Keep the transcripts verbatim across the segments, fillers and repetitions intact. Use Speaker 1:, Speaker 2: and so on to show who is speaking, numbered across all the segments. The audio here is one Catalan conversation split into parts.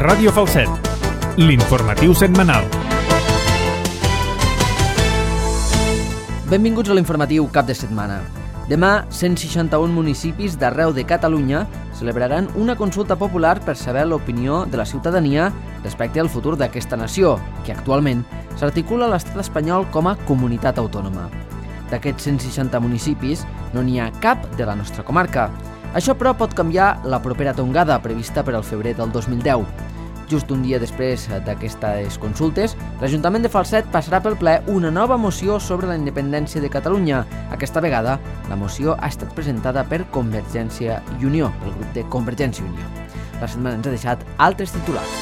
Speaker 1: Ràdio Falset, l'informatiu setmanal.
Speaker 2: Benvinguts a l'informatiu cap de setmana. Demà, cent seixanta-un municipis d'arreu de Catalunya celebraran una consulta popular per saber l'opinió de la ciutadania respecte al futur d'aquesta nació, que actualment s'articula a l'estat espanyol com a comunitat autònoma. D'aquests cent seixanta municipis, no n'hi ha cap de la nostra comarca. Això, però, pot canviar la propera tongada prevista per al febrer del dos mil deu. Just un dia després d'aquestes consultes, l'Ajuntament de Falset passarà pel ple una nova moció sobre la independència de Catalunya. Aquesta vegada, la moció ha estat presentada per Convergència i Unió, pel grup de Convergència i Unió. La setmana ens ha deixat altres titulars.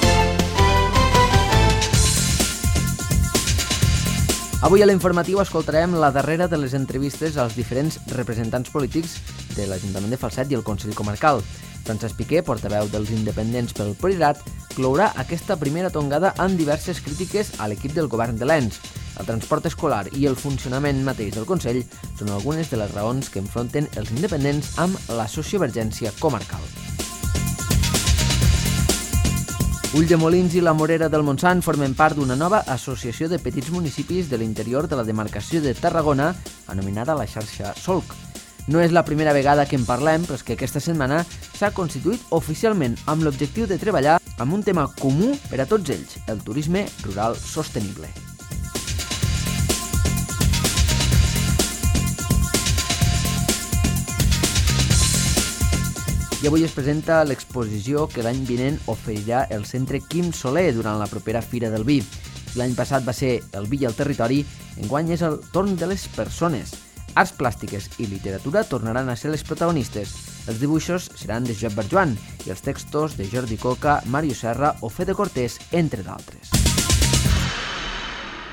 Speaker 2: Avui a l'informatiu escoltarem la darrera de les entrevistes als diferents representants polítics de l'Ajuntament de Falset i el Consell Comarcal. Francesc Piqué, portaveu dels independents pel Priorat, clourà aquesta primera tongada amb diverses crítiques a l'equip del govern de l'Ens. El transport escolar i el funcionament mateix del Consell són algunes de les raons que enfronten els independents amb la sociovergència comarcal. Ulldemolins i la Morera del Montsant formen part d'una nova associació de petits municipis de l'interior de la demarcació de Tarragona, anomenada la xarxa Solc. No és la primera vegada que en parlem, però és que aquesta setmana s'ha constituït oficialment amb l'objectiu de treballar amb un tema comú per a tots ells, el turisme rural sostenible. I avui es presenta l'exposició que l'any vinent oferirà el Centre Quim Soler durant la propera Fira del Vi. L'any passat va ser el vi i el territori, enguany és el torn de les persones. Arts plàstiques i literatura tornaran a ser les protagonistes. Els dibuixos seran de Josep Barjuan i els textos de Jordi Coca, Mario Serra o Fede Cortés, entre d'altres.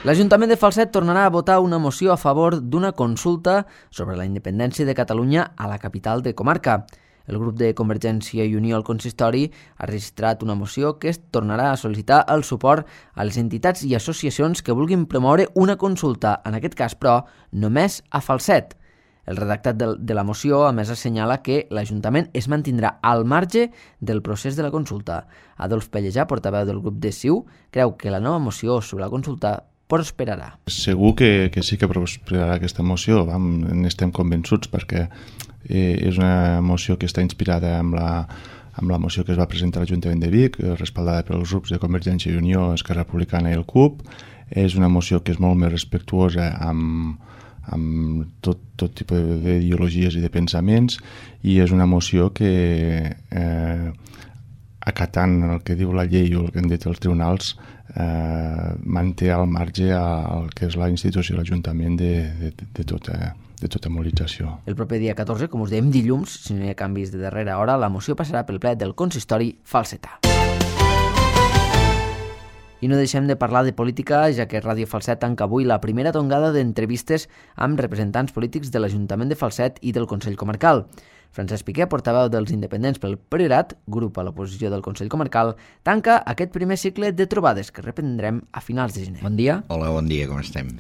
Speaker 2: L'Ajuntament de Falset tornarà a votar una moció a favor d'una consulta sobre la independència de Catalunya a la capital de comarca. El grup de Convergència i Unió al consistori ha registrat una moció que es tornarà a sol·licitar el suport a les entitats i associacions que vulguin promoure una consulta, en aquest cas, però, només a Falset. El redactat de, de la moció, a més, assenyala que l'Ajuntament es mantindrà al marge del procés de la consulta. Adolf Pellejà, portaveu del grup de C I U, creu que la nova moció sobre la consulta prosperarà.
Speaker 3: Segur que, que sí que prosperarà aquesta moció, vam, n'estem convençuts, perquè eh, és una moció que està inspirada amb la, amb la moció que es va presentar a l'Ajuntament de Vic, respaldada pels grups de Convergència i Unió, Esquerra Republicana i el C U P. És una moció que és molt més respectuosa amb, amb tot, tot tipus d'ideologies i de pensaments, i és una moció que, eh, acatant el que diu la llei o el que han dit els tribunals, eh, manté al marge el que és la institució, l'Ajuntament de, de, de, tota, de tota mobilització.
Speaker 2: El proper dia catorze, com us dèiem, dilluns, si no hi ha canvis de darrera hora, la moció passarà pel ple del consistori falsetà. I no deixem de parlar de política, ja que Ràdio Falset tanca avui la primera tongada d'entrevistes amb representants polítics de l'Ajuntament de Falset i del Consell Comarcal. Francesc Piqué, portaveu dels independents pel Priorat, grup a l'oposició del Consell Comarcal, tanca aquest primer cicle de trobades que reprendrem a finals de gener. Bon dia.
Speaker 4: Hola, bon dia, com estem?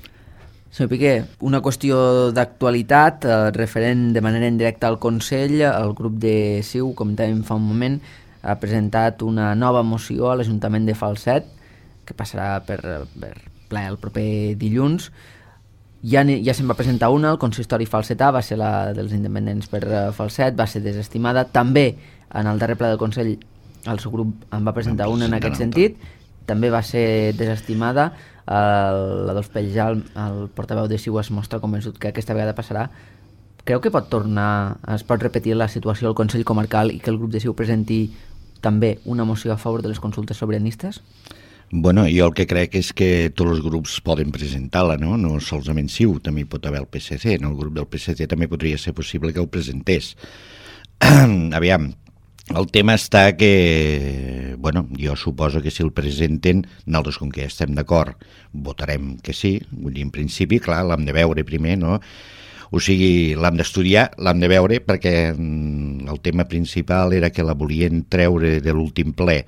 Speaker 2: Senyor Piqué, una qüestió d'actualitat, eh, referent de manera indirecta al Consell, el grup de C I U, com dèiem fa un moment, ha presentat una nova moció a l'Ajuntament de Falset, que passarà per, per ple el proper dilluns. Ja, ja se'n va presentar una, el consistori falsetà, va ser la dels independents per Falset, va ser desestimada. També en el darrer ple del Consell el seu grup en va presentar una en aquest sentit, també va ser desestimada. L'Adolf Pellejà, el, el portaveu de C I U, es mostra convençut que aquesta vegada passarà. Creu que pot tornar, es pot repetir la situació al Consell Comarcal i que el grup de C I U presenti també una moció a favor de les consultes sobiranistes?
Speaker 4: Bueno, jo el que crec és que tots els grups poden presentar-la, no? No solament C I U, també hi pot haver el P S C, no? El grup del P S C també podria ser possible que ho presentés. Aviam, el tema està que, bueno, jo suposo que si el presenten, nosaltres com que ja estem d'acord, votarem que sí, vull dir, en principi, clar, l'hem de veure primer, no? O sigui, l'hem d'estudiar, l'hem de veure, perquè el tema principal era que la volien treure de l'últim ple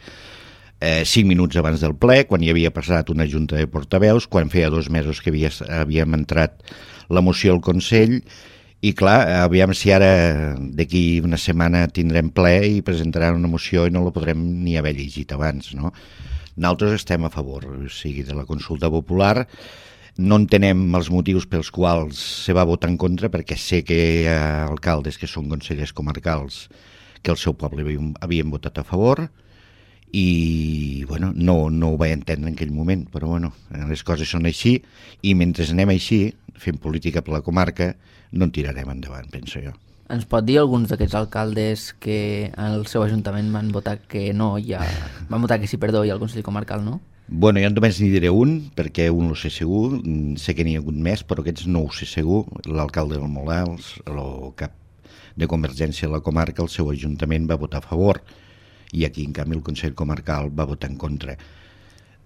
Speaker 4: eh, cinc minuts abans del ple, quan hi havia passat una junta de portaveus, quan feia dos mesos que havia, havíem entrat la moció al Consell, I clar, aviam si ara d'aquí una setmana tindrem ple i presentaran una moció i no la podrem ni haver llegit abans, no? Nosaltres estem a favor, o sigui, de la consulta popular. No entenem els motius pels quals se va votar en contra, perquè sé que hi ha alcaldes que són consellers comarcals que el seu poble havien, havien votat a favor i bueno, no, no ho vaig entendre en aquell moment, però bueno, les coses són així i mentre anem així, fent política per la comarca, no en tirarem endavant, penso jo.
Speaker 2: Ens pot dir alguns d'aquests alcaldes que al seu ajuntament van votar que no, ja van votar que sí, perdó, i al Consell Comarcal no?
Speaker 4: Bueno, jo només n'hi diré un, perquè un ho sé segur, sé que n'hi ha hagut més, però aquests no ho sé segur. L'alcalde del Molar, el cap de Convergència a la comarca, el seu ajuntament va votar a favor, i aquí, en canvi, el Consell Comarcal va votar en contra.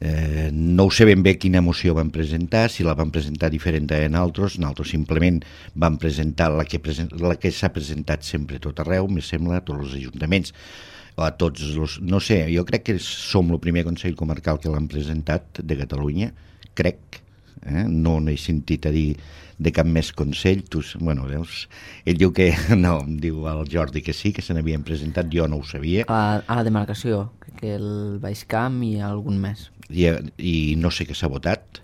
Speaker 4: Eh, no ho sé ben bé quina moció van presentar, si la van presentar diferent de nosaltres, nosaltres simplement vam presentar la que, present, la que s'ha presentat sempre a tot arreu, me sembla, a tots els ajuntaments, a tots els... No sé, jo crec que som el primer Consell Comarcal que l'han presentat de Catalunya, crec, eh? No n'he sentit a dir de cap més consell, tu, bueno, veus, ell diu que no, em diu el Jordi que sí, que se n'havien presentat, jo no ho sabia.
Speaker 2: A, a la demarcació, que el Baix Camp i algun més.
Speaker 4: I, i no sé què s'ha votat.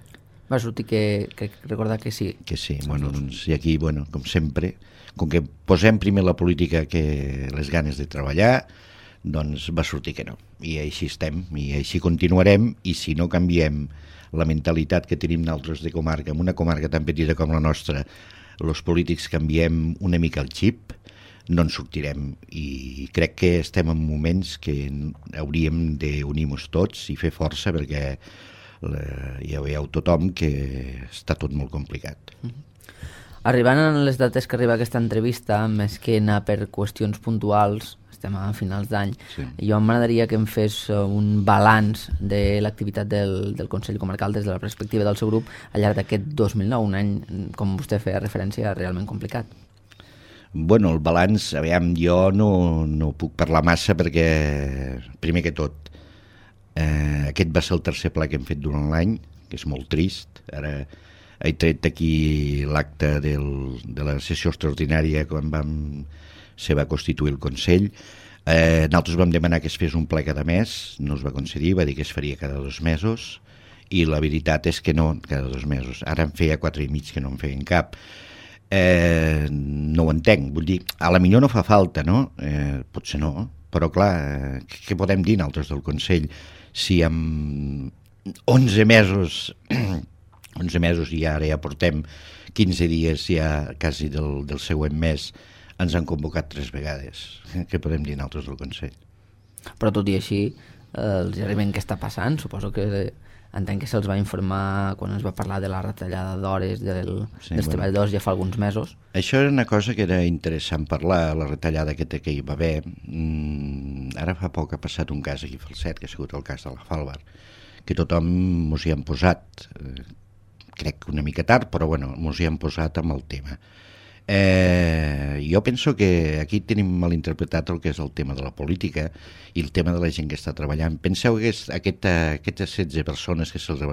Speaker 2: Va sortir que, que recordar que sí.
Speaker 4: Que sí, bueno, doncs, i aquí, bueno, com sempre, com que posem primer la política que les ganes de treballar, doncs va sortir que no. I així estem, i així continuarem, i si no canviem la mentalitat que tenim nosaltres de comarca, en una comarca tan petita com la nostra, els polítics canviem una mica el xip, no en sortirem, i crec que estem en moments que hauríem d'unir-nos tots i fer força, perquè la, ja veieu tothom que està tot molt complicat.
Speaker 2: Arribant a les dates que arriba aquesta entrevista, més que anar per qüestions puntuals, estem a finals d'any, sí. Jo m'agradaria que em fes un balanç de l'activitat del, del Consell Comarcal des de la perspectiva del seu grup al llarg d'aquest dos mil nou, un any, com vostè feia referència, realment complicat.
Speaker 4: Bueno, el balanç, aviam, jo no, no puc parlar massa perquè, primer que tot, eh, aquest va ser el tercer ple que hem fet durant l'any, que és molt trist. Ara he tret aquí l'acte del, de la sessió extraordinària quan vam, se va constituir el Consell. Eh, nosaltres vam demanar que es fes un ple cada mes, no es va concedir, va dir que es faria cada dos mesos, i la veritat és que no, cada dos mesos. Ara en feia quatre i mig que no en feien cap. Eh, no ho entenc, vull dir, a la millor no fa falta, no? Eh, potser no, però clar, eh, què podem dir nosaltres del Consell si amb onze mesos onze mesos i ara ja portem quinze dies ja quasi del, del següent mes ens han convocat tres vegades. Què podem dir nosaltres del Consell?
Speaker 2: Però tot i així, eh, els arriben què està passant, suposo que entenc que se'ls va informar quan es va parlar de la retallada d'hores del, sí, dels bueno, treballadors ja fa alguns mesos.
Speaker 4: Això era una cosa que era interessant parlar, la retallada que, que hi va haver. Mm, ara fa poc ha passat un cas aquí a Falset, que ha sigut el cas de la Falvar, que tothom mos hi han posat, eh, crec que una mica tard, però bueno, mos hi han posat amb el tema. Eh, jo penso que aquí tenim malinterpretat el que és el tema de la política i el tema de la gent que està treballant. Penseu que aquest, aquestes setze persones que se'ls,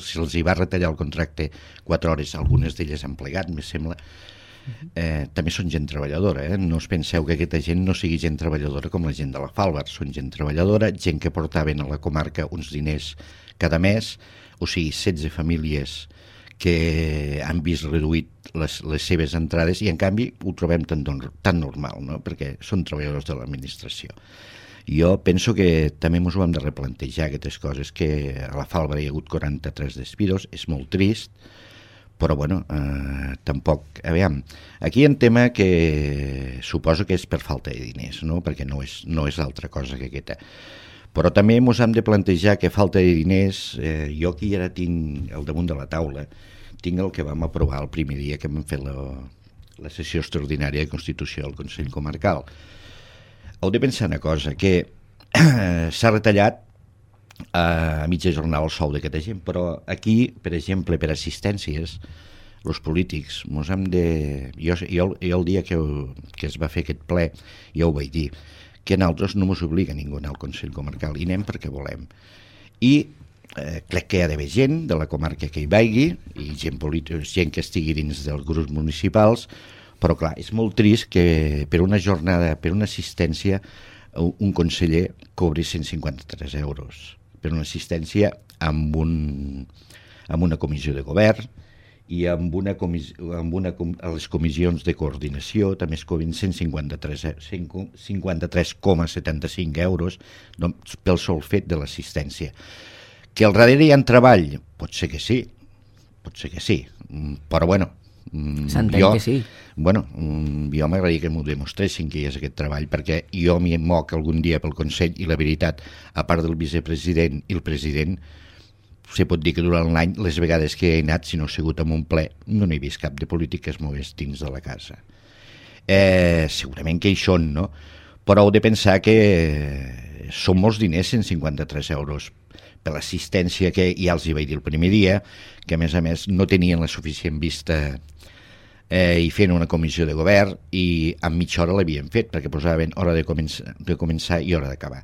Speaker 4: se'ls hi va retallar el contracte quatre hores, algunes d'elles han plegat, me sembla, eh, també són gent treballadora, eh? No us penseu que aquesta gent no sigui gent treballadora com la gent de la Falvar, són gent treballadora, gent que portaven a la comarca uns diners cada mes, o sigui, setze famílies que han vist reduït les, les seves entrades i en canvi ho trobem tan, tan normal, no? Perquè són treballadors de l'administració. Jo penso que també ens ho hem de replantejar, aquestes coses, que a la Falva hi ha hagut quaranta-tres despidos, és molt trist, però bueno, eh, tampoc... Aviam, aquí hi ha un tema que suposo que és per falta de diners, no? Perquè no és, no és altra cosa que aquesta. Però també ens hem de plantejar que falta de diners, eh, jo aquí ara tinc al damunt de la taula, tinc el que vam aprovar el primer dia que vam fer la, la sessió extraordinària de Constitució del Consell Comarcal. Heu de pensar una cosa, que eh, s'ha retallat a mitja jornada el sou d'aquesta gent, però aquí, per exemple, per assistències, els polítics, mos hem de... Jo, jo, jo el dia que, que es va fer aquest ple, ja ho vaig dir, que a nosaltres no ens obliga ningú a anar al Consell Comarcal, i anem perquè volem. I eh, crec que hi ha d'haver gent de la comarca que hi vagi, i gent, política, gent que estigui dins dels grups municipals, Però clar, és molt trist que per una jornada, per una assistència, un conseller cobri cent cinquanta-tres euros per una assistència amb, un, amb una comissió de govern i amb, una comis, amb una, a les comissions de coordinació també es cobrin cent cinquanta-tres coma setanta-cinc euros doncs, pel sol fet de l'assistència. Que al darrere hi ha treball? Pot ser que sí, pot ser que sí, però bueno,
Speaker 2: s'entén
Speaker 4: jo,
Speaker 2: que sí.
Speaker 4: Bueno, jo m'agradaria que m'ho demostressin que hi és aquest treball, perquè jo m'hi moc algun dia pel Consell i la veritat, a part del vicepresident i el president, se pot dir que durant l'any, les vegades que he anat, si no he sigut en un ple, no n'he vist cap de polític que es mogués dins de la casa. Eh, segurament que hi són, no? Però heu de pensar que són molts diners, cent cinquanta-tres euros, per l'assistència que ja els hi vaig dir el primer dia, que a més a més no tenien la suficient vista eh, i fent una comissió de govern i en mitja hora l'havien fet, perquè posaven hora de començar, de començar i hora d'acabar.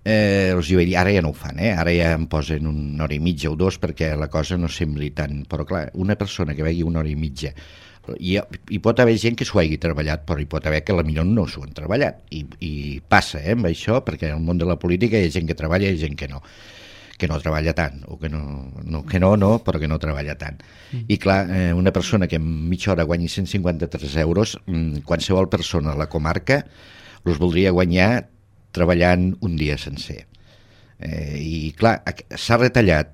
Speaker 4: Eh, els hi vaig dir, ara ja no ho fan, eh? Ara ja em posen una hora i mitja o dos perquè la cosa no sembli tant, però clar, una persona que vegi una hora i mitja, hi, hi pot haver gent que s'ho hagi treballat, però hi pot haver que potser no s'ho han treballat, i, i passa eh, amb això, perquè en el món de la política hi ha gent que treballa i hi ha gent que no que no treballa tant, o que no, no, que no, no, però que no treballa tant. Mm. I clar, eh, una persona que en mitja hora guanyi cent cinquanta-tres euros, mmm, qualsevol persona a la comarca els voldria guanyar treballant un dia sencer. Eh, I clar, s'ha retallat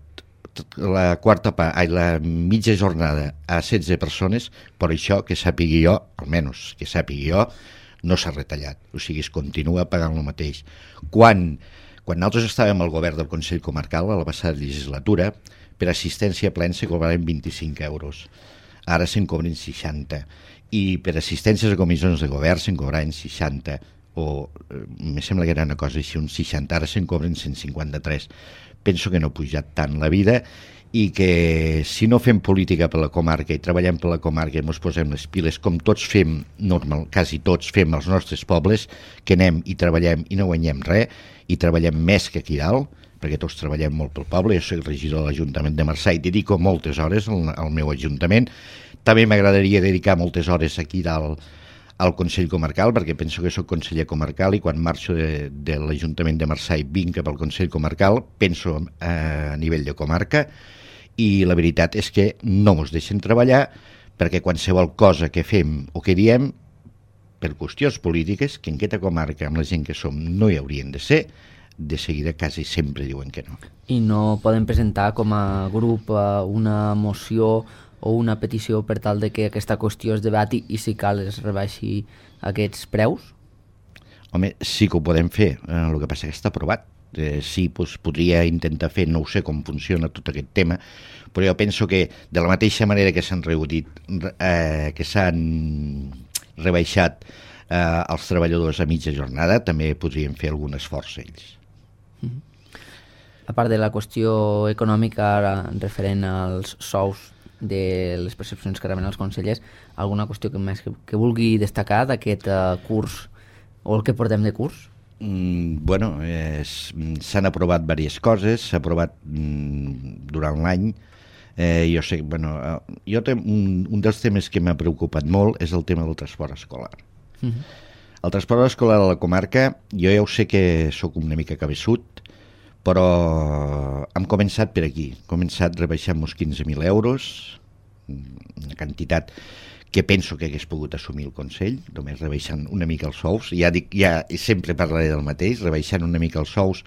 Speaker 4: la quarta part, ai, la mitja jornada a setze persones, per això que sàpigui jo, almenys que sàpigui jo, no s'ha retallat. O sigui, es continua pagant el mateix. Quan... Quan nosaltres estàvem al govern del Consell Comarcal, a la passada legislatura, per assistència plena se cobraven vint-i-cinc euros. Ara se'n cobren seixanta. I per assistències a comissions de govern se'n cobraven seixanta. O, eh, me sembla que era una cosa així, uns seixanta. Ara se'n cobren cent cinquanta-tres. Penso que no ha pujat tant la vida i que si no fem política per la comarca i treballem per la comarca i ens posem les piles, com tots fem, normal, quasi tots fem als nostres pobles, que anem i treballem i no guanyem res, i treballem més que aquí dalt, perquè tots treballem molt pel poble. Jo soc regidor de l'Ajuntament de Marçà i dedico moltes hores al, al meu Ajuntament. També m'agradaria dedicar moltes hores aquí dalt al Consell Comarcal, perquè penso que soc conseller comarcal i quan marxo de, de l'Ajuntament de Marçà i vinc cap al Consell Comarcal penso eh, a nivell de comarca, i la veritat és que no ens deixen treballar, perquè qualsevol cosa que fem o que diem per qüestions polítiques, que en aquesta comarca amb la gent que som no hi haurien de ser, de seguida quasi sempre diuen que no.
Speaker 2: I no poden presentar com a grup una moció o una petició per tal de que aquesta qüestió es debati i si cal es rebaixi aquests preus?
Speaker 4: Home, sí que ho podem fer, eh, el que passa que està aprovat. Eh, sí, doncs, podria intentar fer, no ho sé com funciona tot aquest tema, però jo penso que de la mateixa manera que s'han reduït, eh, que s'han rebaixat eh, els treballadors a mitja jornada, també podrien fer algun esforç ells.
Speaker 2: Mm-hmm. A part de la qüestió econòmica ara, referent als sous de les percepcions que reben els consellers, alguna qüestió que més que, que vulgui destacar d'aquest uh, curs o el que portem de curs?
Speaker 4: Mm, bueno, s'han aprovat diverses coses, s'ha aprovat mm, durant l'any. Eh, jo sé, bueno, eh, jo te, un, un dels temes que m'ha preocupat molt és el tema del transport escolar. Uh-huh. El transport escolar a la comarca, jo ja ho sé que sóc una mica cabeçut, però hem començat per aquí. Hem començat rebaixant uns quinze mil euros, una quantitat que penso que hagués pogut assumir el Consell, només rebaixant una mica els sous. Ja dic, ja sempre parlaré del mateix, rebaixant una mica els sous,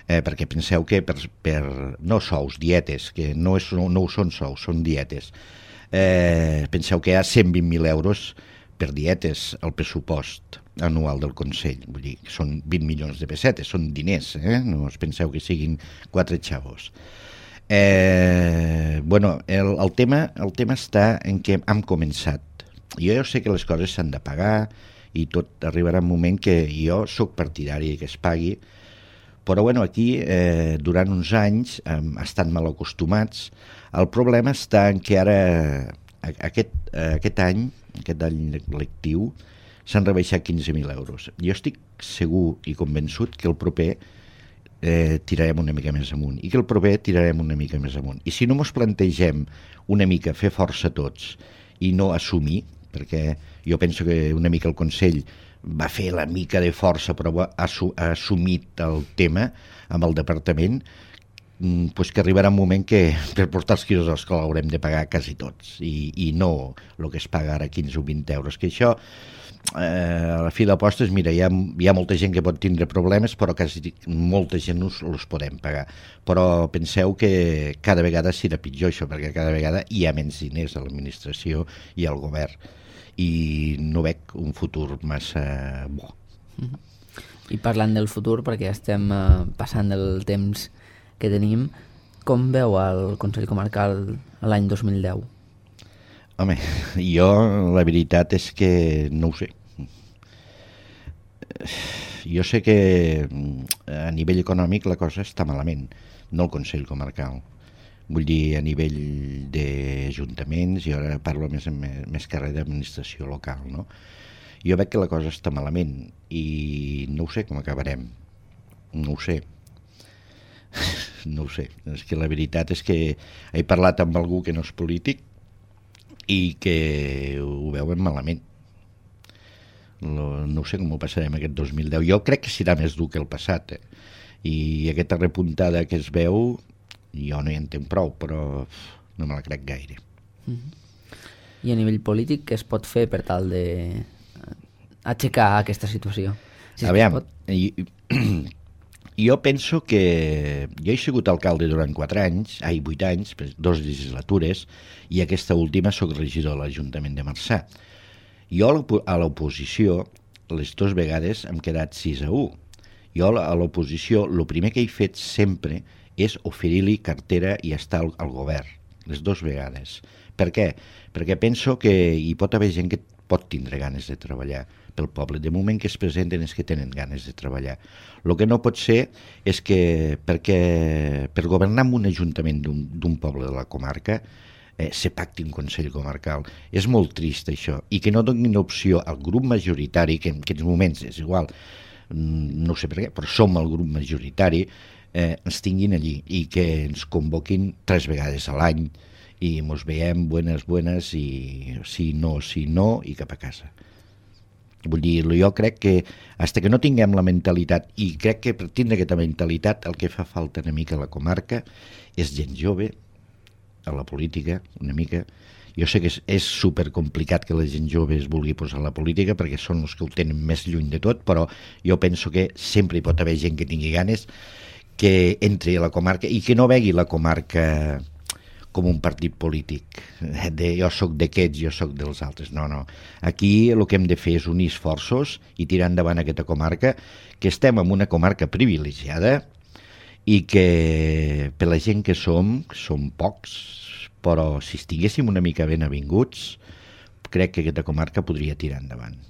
Speaker 4: eh, perquè penseu que per, per no sous, dietes, que no, és, no, no ho són sous, són dietes. Eh, penseu que hi ha cent vint mil euros per dietes al pressupost anual del Consell, vull dir, són vint milions de pessetes, són diners, eh? No us penseu que siguin quatre xavos. Eh, bueno, el, el, tema, el tema està en què hem començat. Jo ja sé que les coses s'han de pagar i tot arribarà un moment que jo sóc partidari que es pagui, però bueno, aquí eh, durant uns anys eh, estan mal acostumats. El problema està en que ara aquest, eh, aquest any, aquest any lectiu, s'han rebaixat quinze mil euros. Jo estic segur i convençut que el proper eh, tirarem una mica més amunt i que el proper tirarem una mica més amunt. I si no ens plantegem una mica fer força tots i no assumir, perquè jo penso que una mica el Consell va fer la mica de força però ha, ha assumit el tema amb el departament, pues que arribarà un moment que per portar els quilos a l'escola haurem de pagar quasi tots i, i no el que es paga ara quinze o vint euros, que això eh, a la fi d'apostes, mira, hi ha, hi ha molta gent que pot tindre problemes però quasi molta gent us, els podem pagar, però penseu que cada vegada serà pitjor això, perquè cada vegada hi ha menys diners a l'administració i al govern i no veig un futur massa bo.
Speaker 2: I parlant del futur, perquè estem eh, passant el temps que tenim, com veu el Consell Comarcal l'any dos mil deu?
Speaker 4: Home, jo la veritat és que no ho sé. Jo sé que a nivell econòmic la cosa està malament, no el Consell Comarcal. Vull dir, a nivell d'ajuntaments, i ara parlo més, més que res d'administració local, no? Jo veig que la cosa està malament i no ho sé com acabarem. No ho sé. No ho sé. És que la veritat és que he parlat amb algú que no és polític i que ho veuen malament. No, no sé com ho passarem aquest dos mil deu. Jo crec que serà més dur que el passat, eh? I aquesta repuntada que es veu jo no hi entenc prou, però no me la crec gaire.
Speaker 2: Mm-hmm. I a nivell polític què es pot fer per tal de aixecar aquesta situació? Si
Speaker 4: Aviam, jo, jo penso que jo he sigut alcalde durant quatre anys, ai, vuit anys, dos legislatures, i aquesta última soc regidor de l'Ajuntament de Marçà. Jo a l'oposició, les dues vegades hem quedat sis a u. Jo a l'oposició, el primer que he fet sempre és oferir-li cartera i estar al, al govern, les dues vegades. Per què? Perquè penso que hi pot haver gent que pot tindre ganes de treballar pel poble. De moment que es presenten és que tenen ganes de treballar. El que no pot ser és que perquè per governar en un ajuntament d'un poble de la comarca eh, se pacti un Consell Comarcal. És molt trist això, i que no donin opció al grup majoritari, que en aquests moments és igual, no sé per què, però som el grup majoritari, eh, ens tinguin allí i que ens convoquin tres vegades a l'any i ens veiem buenas, buenas i sí, no, sí, no i cap a casa. Vull dir, jo crec que fins que no tinguem la mentalitat, i crec que per tindre aquesta mentalitat el que fa falta una mica a la comarca és gent jove a la política, una mica. Jo sé que és, és supercomplicat que la gent jove es vulgui posar a la política perquè són els que ho tenen més lluny de tot, però jo penso que sempre hi pot haver gent que tingui ganes que entri a la comarca i que no vegi la comarca com un partit polític, de jo sóc d'aquests, jo sóc dels altres. No, no. Aquí el que hem de fer és unir esforços i tirar endavant aquesta comarca, que estem en una comarca privilegiada i que per la gent que som, som pocs, però si estiguéssim una mica ben avinguts, crec que aquesta comarca podria tirar endavant.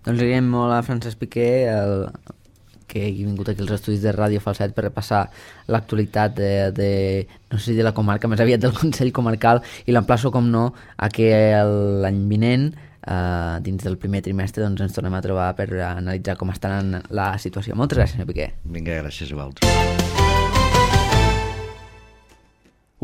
Speaker 2: Doncs agraïm molt a Francesc Piqué, el, que he vingut aquí als estudis de Ràdio Falset per repassar l'actualitat de, de, no sé si de la comarca, més aviat del Consell Comarcal, i l'emplaço, com no, a que l'any vinent, eh, dins del primer trimestre, doncs ens tornem a trobar per analitzar com està en la situació. Moltes gràcies, senyor Piqué.
Speaker 4: Vinga, gràcies a vosaltres.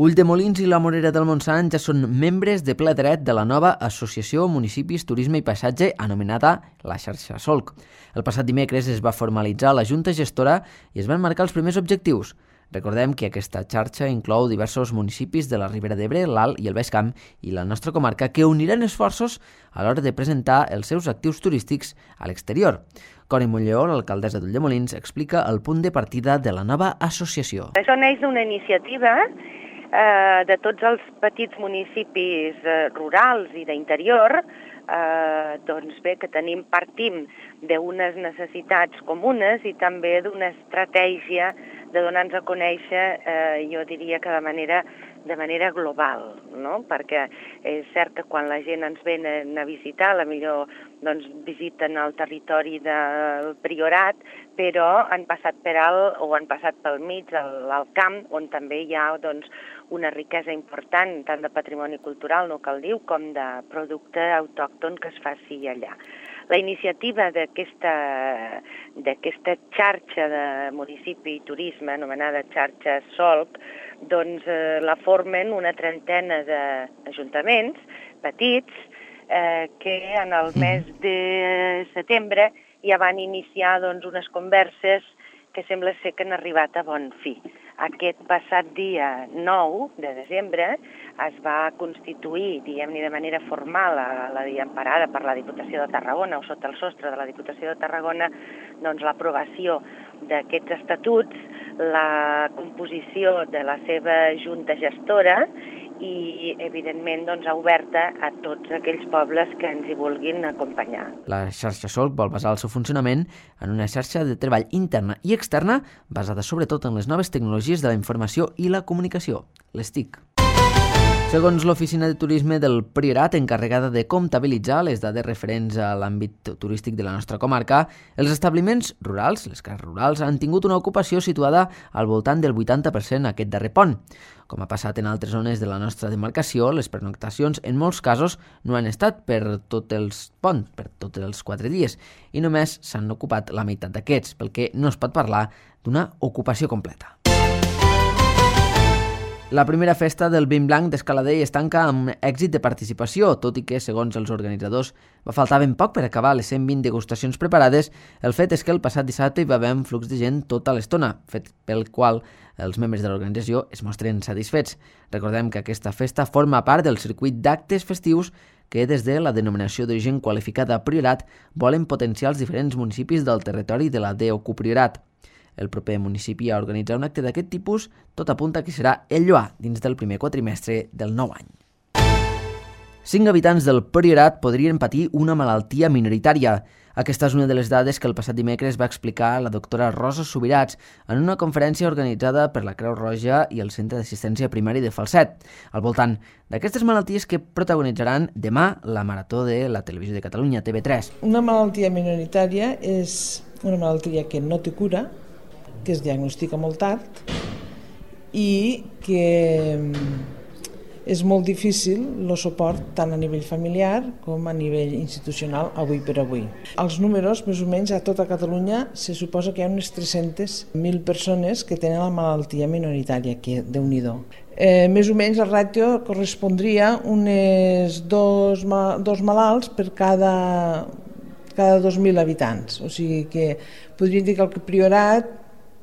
Speaker 2: Ulldemolins i la Morera del Montsant ja són membres de ple dret de la nova Associació Municipis, Turisme i Paisatge, anomenada la Xarxa Solc. El passat dimecres es va formalitzar la Junta Gestora i es van marcar els primers objectius. Recordem que aquesta xarxa inclou diversos municipis de la Ribera d'Ebre, l'Alt i el Baix Camp i la nostra comarca, que uniran esforços a l'hora de presentar els seus actius turístics a l'exterior. Cori Montlleó, l'alcaldessa d'Ulldemolins, explica el punt de partida de la nova associació.
Speaker 5: Això neix d'una iniciativa eh, de tots els petits municipis eh, rurals i d'interior, eh, doncs bé, que tenim, partim d'unes necessitats comunes i també d'una estratègia de donar-nos a conèixer, eh, jo diria que de manera, de manera global, no? Perquè és cert que quan la gent ens venen a visitar, a la millor doncs, visiten el territori del Priorat, però han passat per alt o han passat pel mig, al camp, on també hi ha doncs, una riquesa important, tant de patrimoni cultural, no cal dir, com de producte autòcton que es faci allà. La iniciativa d'aquesta d'aquesta xarxa de municipi i turisme, anomenada xarxa Solc, doncs eh, la formen una trentena d'ajuntaments petits eh, que en el mes de setembre ja van iniciar doncs, unes converses que sembla ser que han arribat a bon fi. Aquest passat dia nou de desembre es va constituir, diguem-ne de manera formal, a la emparada per la Diputació de Tarragona o sota el sostre de la Diputació de Tarragona, doncs l'aprovació d'aquests estatuts, la composició de la seva junta gestora i, evidentment, doncs, oberta a tots aquells pobles que ens hi vulguin acompanyar.
Speaker 2: La xarxa Solc vol basar el seu funcionament en una xarxa de treball interna i externa basada sobretot en les noves tecnologies de la informació i la comunicació, les T I C. Segons l'Oficina de Turisme del Priorat, encarregada de comptabilitzar les dades referents a l'àmbit turístic de la nostra comarca, els establiments rurals, les cases rurals, han tingut una ocupació situada al voltant del vuitanta per cent aquest darrer pont. Com ha passat en altres zones de la nostra demarcació, les pernoctacions en molts casos no han estat per tots els ponts, per tots els quatre dies, i només s'han ocupat la meitat d'aquests, pel que no es pot parlar d'una ocupació completa. La primera festa del Vin Blanc d'Escaladei es tanca amb èxit de participació, tot i que, segons els organitzadors, va faltar ben poc per acabar les cent vint degustacions preparades. El fet és que el passat dissabte hi va haver un flux de gent tota l'estona, fet pel qual els membres de l'organització es mostren satisfets. Recordem que aquesta festa forma part del circuit d'actes festius que des de la denominació d'origen qualificada Priorat volen potenciar els diferents municipis del territori de la D O C U Priorat. El proper municipi a organitzar un acte d'aquest tipus, tot apunta que serà el Lloar, dins del primer quatrimestre del nou any. Cinc habitants del Priorat podrien patir una malaltia minoritària. Aquesta és una de les dades que el passat dimecres va explicar la doctora Rosa Subirats en una conferència organitzada per la Creu Roja i el Centre d'Assistència Primària de Falset, al voltant d'aquestes malalties que protagonitzaran demà la Marató de la Televisió de Catalunya, T V tres.
Speaker 6: Una malaltia minoritària és una malaltia que no té cura, que es diagnostica molt tard i que és molt difícil el suport tant a nivell familiar com a nivell institucional avui per avui. Els números, més o menys, a tota Catalunya se suposa que hi ha unes tres-centes mil persones que tenen la malaltia minoritària, que Déu-n'hi-do. Eh, més o menys el ràtio correspondria unes dos, dos malalts per cada, cada dos mil habitants. O sigui que podríem dir que el Priorat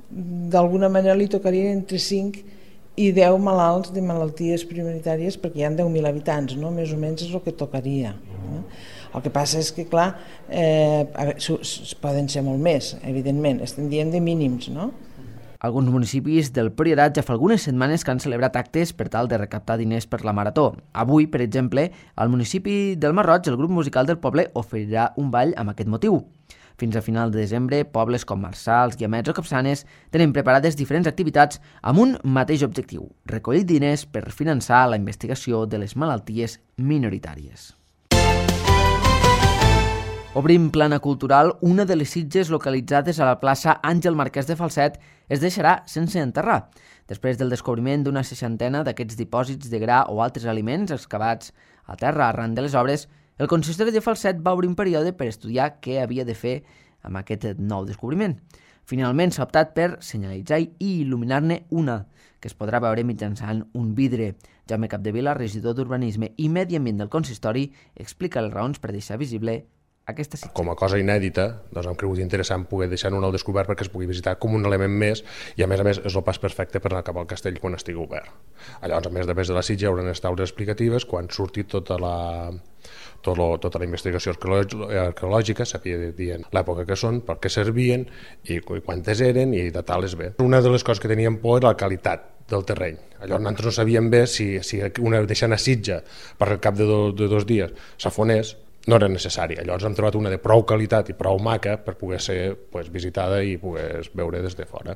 Speaker 6: d'alguna manera li tocarien entre cinc i deu malalts de malalties prioritàries perquè hi ha deu mil habitants, no? Més o menys és el que tocaria. No? El que passa és que, clar, eh, poden ser molt més, evidentment, estem dient de mínims, no?
Speaker 2: Alguns municipis del Priorat ja fa algunes setmanes que han celebrat actes per tal de recaptar diners per la Marató. Avui, per exemple, al municipi del Masroig, el grup musical del poble oferirà un ball amb aquest motiu. Fins a final de desembre, pobles com Marsals, Guiamets o Capçanes tenen preparades diferents activitats amb un mateix objectiu, recollir diners per finançar la investigació de les malalties minoritàries. Obrim plana cultural. Una de les sitges localitzades a la plaça Àngel Marquès de Falset es deixarà sense enterrar. Després del descobriment d'una seixantena d'aquests dipòsits de gra o altres aliments excavats a terra arran de les obres, el consistori de Falset va obrir un període per estudiar què havia de fer amb aquest nou descobriment. Finalment s'ha optat per senyalitzar i il·luminar-ne una, que es podrà veure mitjançant un vidre. Jaume Capdevila, regidor d'Urbanisme i Medi Ambient del consistori, explica les raons per deixar visible aquesta sitja.
Speaker 7: Com a cosa inèdita, doncs hem cregut interessant poder deixar-ho al descobert perquè es pugui visitar com un element més i a més a més és el pas perfecte per anar cap al castell quan estigui obert. Llavors, a més de més de la sitja, hi haurà unes taules explicatives quan surti tota la, tot lo, tota la investigació arqueològica, sabia dient l'època que són, per què servien i quantes eren i de tales bé. Una de les coses que teníem por era la qualitat del terreny. Llavors nosaltres no sabíem bé si, si una deixant a sitja per al cap de, do, de dos dies s'afonés, no era necessari. Llavors hem trobat una de prou qualitat i prou maca per poder ser pues, visitada i poder veure des de fora.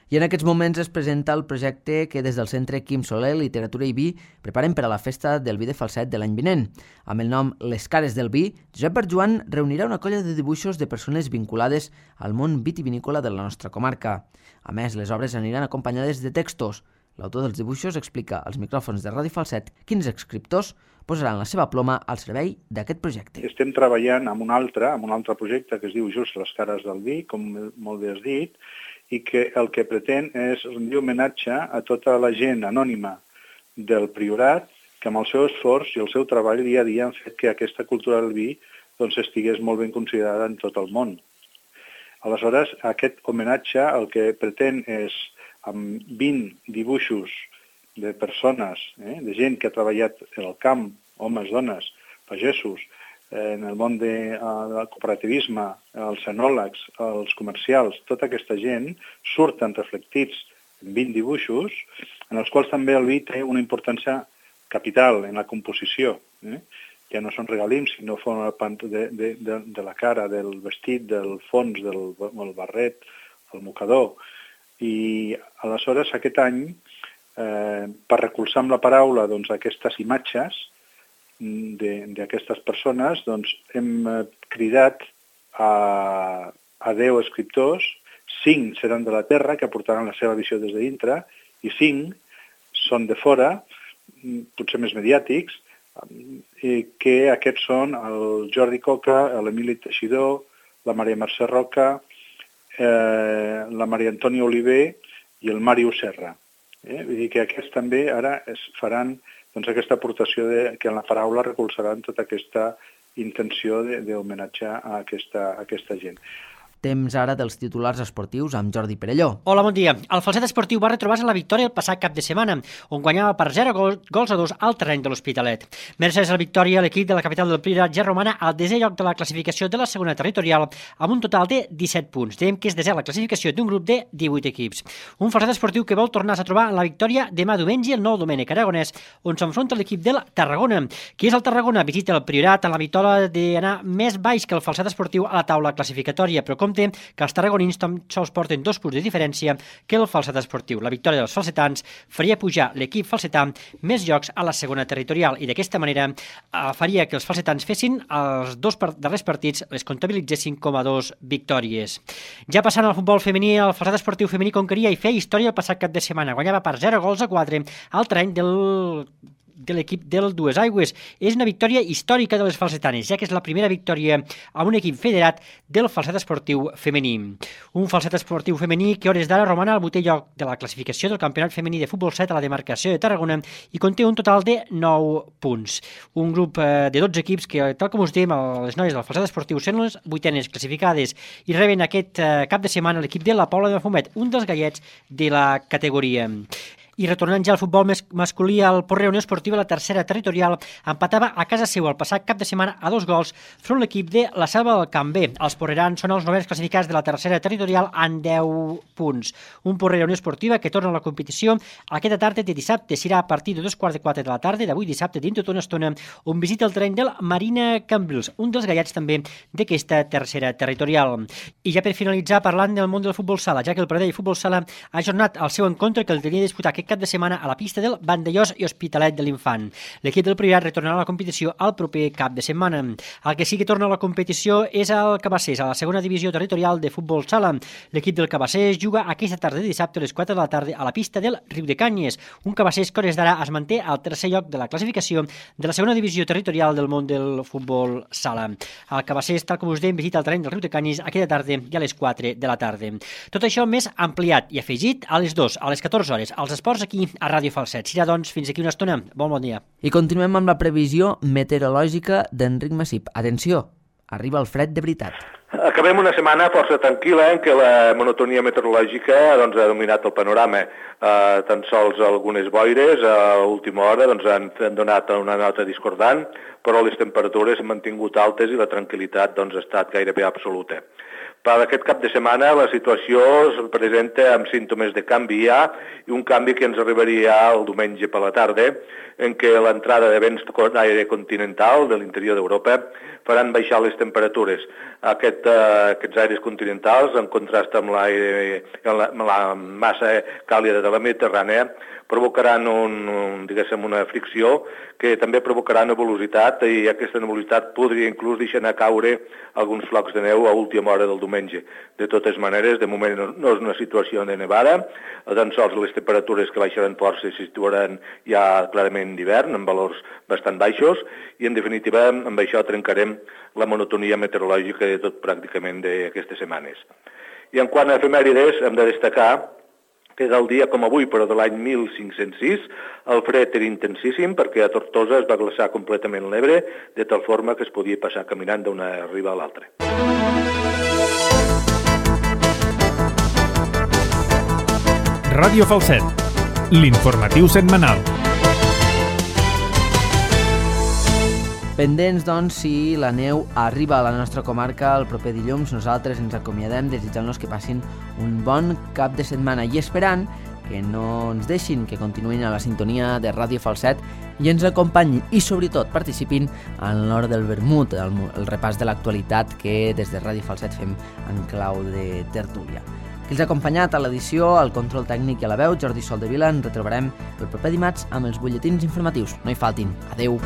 Speaker 2: I en aquests moments es presenta el projecte que des del Centre Quim Soler, Literatura i Vi preparen per a la festa del vi de Falset de l'any vinent. Amb el nom Les Cares del Vi, Josep Barjuan reunirà una colla de dibuixos de persones vinculades al món vitivinícola de la nostra comarca. A més, les obres aniran acompanyades de textos. L'autor dels dibuixos explica als micròfons de Ràdio Falset quins escriptors posaran la seva ploma al servei d'aquest projecte.
Speaker 8: Estem treballant amb un altre, amb un altre projecte que es diu just Les Cares del Vi, com molt bé has dit, i que el que pretén és rendir homenatge a tota la gent anònima del Priorat que amb el seu esforç i el seu treball dia a dia han fet que aquesta cultura del vi doncs, estigués molt ben considerada en tot el món. Aleshores, aquest homenatge el que pretén és, amb vint dibuixos de persones, eh, de gent que ha treballat en el camp, homes, dones, pagesos, eh, en el món de, uh, del cooperativisme, els enòlegs, els comercials, tota aquesta gent surten reflectits en vint dibuixos, en els quals també el vi té una importància capital en la composició. Eh? Ja no són regalims, sinó formen part de, de, de, de la cara, del vestit, del fons, del, del barret, el mocador. I aleshores aquest any, eh, per recolzar amb la paraula doncs, aquestes imatges d'aquestes persones, doncs, hem cridat a, a deu escriptors, cinc seran de la Terra, que aportaran la seva visió des de dintre, i cinc són de fora, potser més mediàtics, que aquests són el Jordi Coca, l'Emili Teixidor, la Maria Mercè Roca, eh, la Maria Antònia Oliver i el Màrius Serra. Eh? Vull dir que aquests també ara es faran doncs, aquesta aportació de, que en la paraula recolzaran tota aquesta intenció d'homenatge a aquesta, a aquesta gent.
Speaker 2: Temps ara dels titulars esportius amb Jordi Perelló.
Speaker 9: Hola, bon dia. El Falset Esportiu va retrobar-se la victòria el passat cap de setmana, on guanyava per zero gols a dos al terreny de l'Hospitalet. Gràcies a la victòria, l'equip de la capital del Priorat ja romana al desè lloc de la classificació de la segona territorial, amb un total de disset punts. Dèiem que és desè la classificació d'un grup de divuit equips. Un Falset Esportiu que vol tornar-se a trobar en la victòria demà diumenge el nou Domènec Aragonès, on s'enfronta l'equip del Tarragona. Qui és el Tarragona? Visita el Priorat amb la victòria d'anar més baix que el Falset Esportiu a la taula classificatòria, però com que els tarragonins tan sols porten dos punts de diferència que el Falset Esportiu. La victòria dels falsetans faria pujar l'equip falsetà més llocs a la segona territorial i d'aquesta manera faria que els falsetans fessin els dos darrers partits, les comptabilitzessin com a dos victòries. Ja passant al futbol femení, el Falset Esportiu femení conqueria i feia història el passat cap de setmana. Guanyava per zero gols a quatre al terreny del de l'equip del Dues Aigües. És una victòria històrica de les falsetanes, ja que és la primera victòria amb un equip federat del Falset Esportiu femení. Un Falset Esportiu femení que hores d'ara romana al vuitè lloc de la classificació del Campionat Femení de Futbol set a la demarcació de Tarragona i conté un total de nou punts. Un grup de dotze equips que, tal com us diem, les noies del Falset Esportiu són les vuitenes classificades i reben aquest cap de setmana l'equip de la Pobla de Mafumet, un dels gallets de la categoria. I retornant ja al futbol masculí, el Porreig Unió Esportiva, la tercera territorial, empatava a casa seu el passat cap de setmana a dos gols front l'equip de la Selva del Camp B. Els porrerans són els novens classificats de la tercera territorial amb deu punts. Un Porreig Unió Esportiva que torna a la competició aquesta tarda de dissabte. Serà a partir de dos quarts de quatre de la tarda d'avui dissabte, dintre d'una estona, on visita el terreny del Marina Cambrils, un dels gallets també d'aquesta tercera territorial. I ja per finalitzar, parlant del món del futbol sala, ja que el Pradell Futbol Sala ha ajornat el seu encontre que el tenia disputat aquest cap de setmana a la pista del Vandellós i Hospitalet de l'Infant. L'equip del Priorat retornarà a la competició al proper cap de setmana. El que sí que torna a la competició és el Cabassers, a la segona divisió territorial de futbol sala. L'equip del Cabassers juga aquesta tarda de dissabte a les quatre de la tarda a la pista del Riu de Canyes. Un Cabassers que hores d'ara es manté al tercer lloc de la classificació de la segona divisió territorial del món del futbol sala. El Cabassers, tal com us dèiem, visita el terreny del Riu de Canyes aquesta tarda i a les quatre de la tarda. Tot això més ampliat i afegit a les dues, a les catorze hores, als esports aquí a Ràdio Falset. Serà, doncs, fins aquí una estona. Bon bon dia.
Speaker 2: I continuem amb la previsió meteorològica d'Enric Massip. Atenció, arriba el fred de veritat.
Speaker 10: Acabem una setmana força tranquil·la en què la monotonia meteorològica doncs, ha dominat el panorama. Eh, tan sols algunes boires a última hora doncs, han, han donat una nota discordant, però les temperatures s'han mantingut altes i la tranquil·litat doncs, ha estat gairebé absoluta. Per aquest cap de setmana la situació es presenta amb símptomes de canvi ja i un canvi que ens arribaria el diumenge per la tarda, en què l'entrada de vents d'aire continental de l'interior d'Europa faran baixar les temperatures. Aquest, eh, aquests aires continentals, en contrast amb, la, amb la massa càlida de la Mediterrània, provocaran un, un, diguéssim, una fricció que també provocarà nebulositat i aquesta nebulositat podria inclús deixar anar caure alguns flocs de neu a última hora del diumenge. De totes maneres, de moment no és una situació de nevada, tan sols les temperatures que baixaran força se situaran ja clarament d'hivern, amb valors bastant baixos, i en definitiva amb això trencarem la monotonia meteorològica de tot pràcticament d'aquestes setmanes. I en quant a efemèrides, hem de destacar que és el dia com avui, però de l'any mil cinc-cents sis, el fred era intensíssim perquè a Tortosa es va glaçar completament l'Ebre, de tal forma que es podia passar caminant d'una riba a l'altra.
Speaker 1: Ràdio Falset, l'informatiu setmanal.
Speaker 2: Pendents, doncs, si la neu arriba a la nostra comarca el proper dilluns, nosaltres ens acomiadem desitjant-los que passin un bon cap de setmana i esperant que no ens deixin, que continuïn a la sintonia de Ràdio Falset i ens acompanyin i, sobretot, participin en l'hora del vermut, el, el repàs de l'actualitat que des de Ràdio Falset fem en clau de tertúlia. Que els ha acompanyat a l'edició, al control tècnic i a la veu, Jordi Soldevila. Ens retrobarem el proper dimarts amb els butlletins informatius. No hi faltin. Adeu!